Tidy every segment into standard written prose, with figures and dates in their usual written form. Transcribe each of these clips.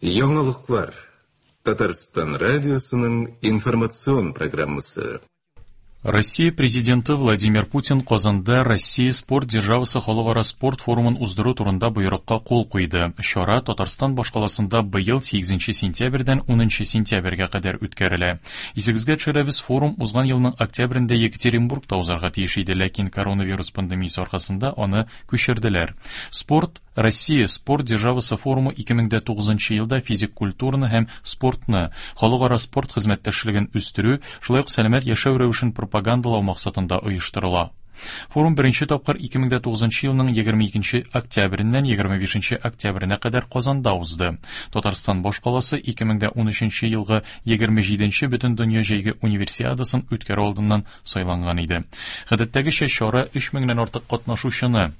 Яңалыклар. Татарстан радиосының информацион программасы. Россия Президенты Владимир Путин Казанда Россия спорт державасы халыкара спорт форумын уздыру турында боерыкка кул куйды. Чара Татарстан башкаласында быел 8 сентябрьдән 10 сентябрьгә кадәр үткәрелә. Исегезгә төшерәбез, форум узган елның октябрендә Екатеринбургта узарга тиеш иде, ләкин коронавирус пандемиясе аркасында аны күчерделәр. Спорт Россия спорт державасы форумы 2009 елда физик культураны һәм спортны, халыкара спорт хезмәттәшлеген үстерү, шулай ук сәламәт яшәү рәвешен пропагандалау максатында оештырыла. Форум беренче тапкыр 2009 елның 22 октябреннән 25 октябренә кадәр Казанда узды. Татарстан башкаласы 2013 елгы 27 Бөтендөнья җәйге универсиадасын үткәрү алдыннан сайланган иде. Гадәттәгечә чара 3 меңнән артык катнашучыны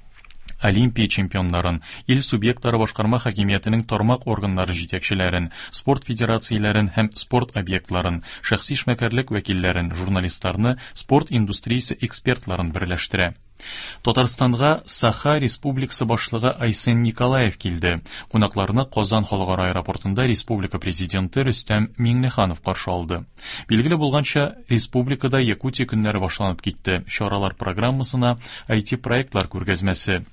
Олимпия чемпионнарын, ил субъектлары башкарма хакимиятенең тармак органнары җитәкчеләрен, спорт федерацияләрен һәм спорт объектларын, шәхси эшмәкәрлек вәкилләрен, журналистларны, спорт индустриясе экспертларын берләштерә. Татарстанга Саха Республикасы башлыгы Айсен Николаев килде. Кунакларны Казан халыкара аэропортында республика президенты Рөстәм Миңнеханов каршы алды. Билгеле булганча, республикада Якутия көннәре башланып китте. Чаралар программасына IT-проектлар күргәзмәсе,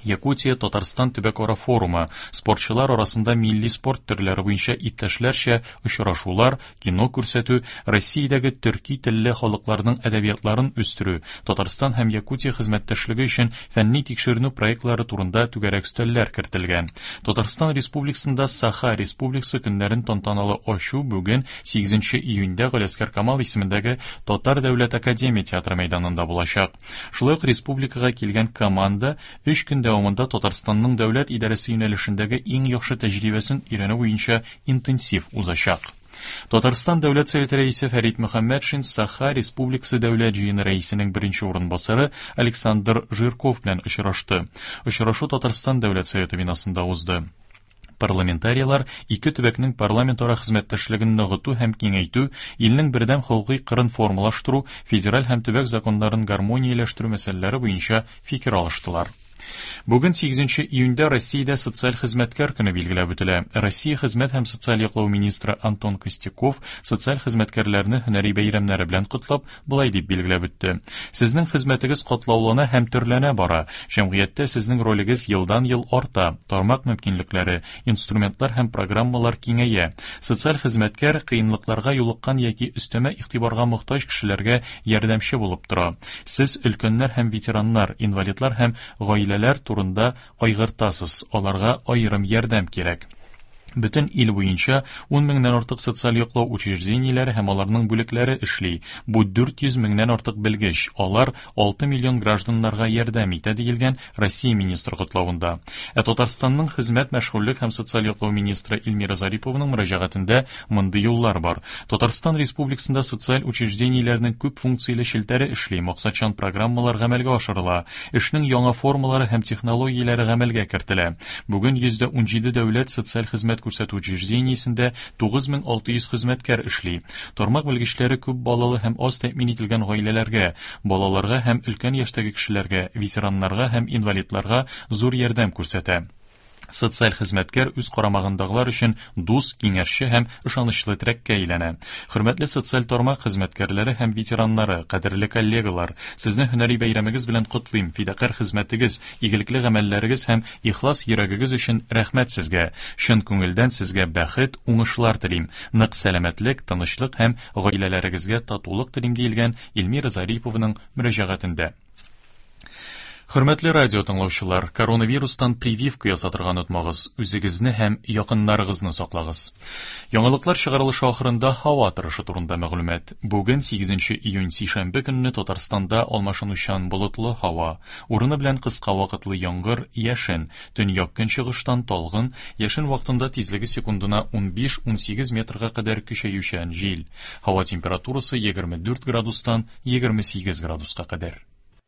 Якутия Татарстан төбәкара форумы, спортчылар арасында милли спорт төрләре буенча иптәшләрчә очрашулар, кино күрсәтү, Россиядәге төрки телле халыкларның әдәбиятларын үстерү, Татарстан һәм Якутия хезмәттәшлеге өчен фәнни-тикшеренү проектлары турында түгәрәк өстәлләр кертелгән. Татарстан Республикасында Саха Республикасы көннәрен тантаналы ачу бүген 8 июньдә Галиәсгар Камал исемендәге Татар дәүләт академия театры мәйданында булачак. Шулай ук республикага килгән команда өч көн дәвамында Татарстанның дәүләт идарәсе юнәлешендәге иң яхшы тәҗрибәсен өйрәнү буенча интенсив узачак. Татарстан Дәүләт Советы рәисе Фәрит Мөхәммәтшин Саха Республикасы Дәүләт җыены рәисенең беренче урынбасары Александр Жирков белән очрашты. Очрашу Татарстан Дәүләт Советы бинасында узды. Парламентарийлар ике төбәкнең парламентара хезмәттәшлеген ныгыту һәм киңәйтү, илнең бердәм хокукый кырын формалаштыру, федераль һәм төбәк законнарын гармонияләштерү мәсьәләләре буенча фикер алыштылар. Бүген 8 июньдә Россиядә социаль хезмәткәр көне билгеләп үтелә. Россия хезмәт һәм социаль яклау министры Антон Костяков социаль хезмәткәрләрне һөнәри бәйрәмнәре белән котлап, болай дип билгеләп үтте. Сезнең хезмәтегез катлаулана һәм төрләнә бара. Җәмгыятьтә сезнең ролегез елдан-ел арта, тармак мөмкинлекләре, инструментлар һәм программалар киңәя. Социаль хезмәткәр кыенлыкларга юлыккан яки өстәмә игътибарга мохтаҗ кешеләргә ярдәмче булып тора. Сез өлкәннәр һәм ветераннар, инвалидлар һәм гаиләләр турында кайгыртасыз, аларга аерым ярдәм кирәк. Бөтен ил буенча 10 меңнән артык социаль яклау учреждениеләре һәм аларның бүлекләре эшли. Бу 400 меңнән артык белгеч, алар 6 миллион гражданнарга ярдәм итә, диелгән Россия министры котлавында. Ә Татарстанның хезмәт, мәшгульлек һәм социаль яклау министры Эльмира Зарипованың мөрәҗәгатендә мондый юллар бар. Татарстан Республикасында социаль учреждениеләрнең күп функцияле челтәре эшли, максатчан программалар гамәлгә ашырыла, эшнең яңа формалары һәм технологияләре гамәлгә кертелә. Бүген 117 дәүләт социаль хезмәт күрсәтү учреждениесендә 9600 хезмәткәр эшли. Тармак белгечләре күп балалы һәм аз тәэмин ителгән гаиләләргә, балаларга һәм өлкән яшьтәге кешеләргә, ветераннарга һәм инвалидларга зур ярдәм күрсәтә. Социаль хезмәткәр үз карамагындагылар өчен дус, киңәшче һәм ышанычлы терәккә әйләнә. Хөрмәтле социаль тармак хезмәткәрләре һәм ветераннары, кадерле коллегалар, сезне һөнәри бәйрәмегез белән котлыйм, фидакарь хезмәтегез, игелекле гамәлләрегез һәм ихлас йөрәгегез өчен рәхмәт сезгә. Чын күңелдән сезгә бәхет, уңышлар телим. Нык сәламәтлек, тынычлык һәм гаиләләрегезгә татулык телим, диелгән Эльмира Зарипованың мөрәҗәгатендә. Хөрмәтле радио тыңлаучылар, коронавирустан прививка ясатырга онытмагыз, үзегезне һәм якыннарыгызны саклагыз. Яңалыклар чыгарылышы ахырында һава торышы турында мәгълүмат. Бүген 8 июнь сишәмбе көнне Татарстанда алмашынучан болытлы һава, урыны белән кыска вакытлы яңгыр, яшен, төньяк-көнчыгыштан талгын, яшен вакытында тизлеге секундына 15-18 метрга кадәр көчәючән җил. Һава температурасы 24 градустан 28 градуска кадәр.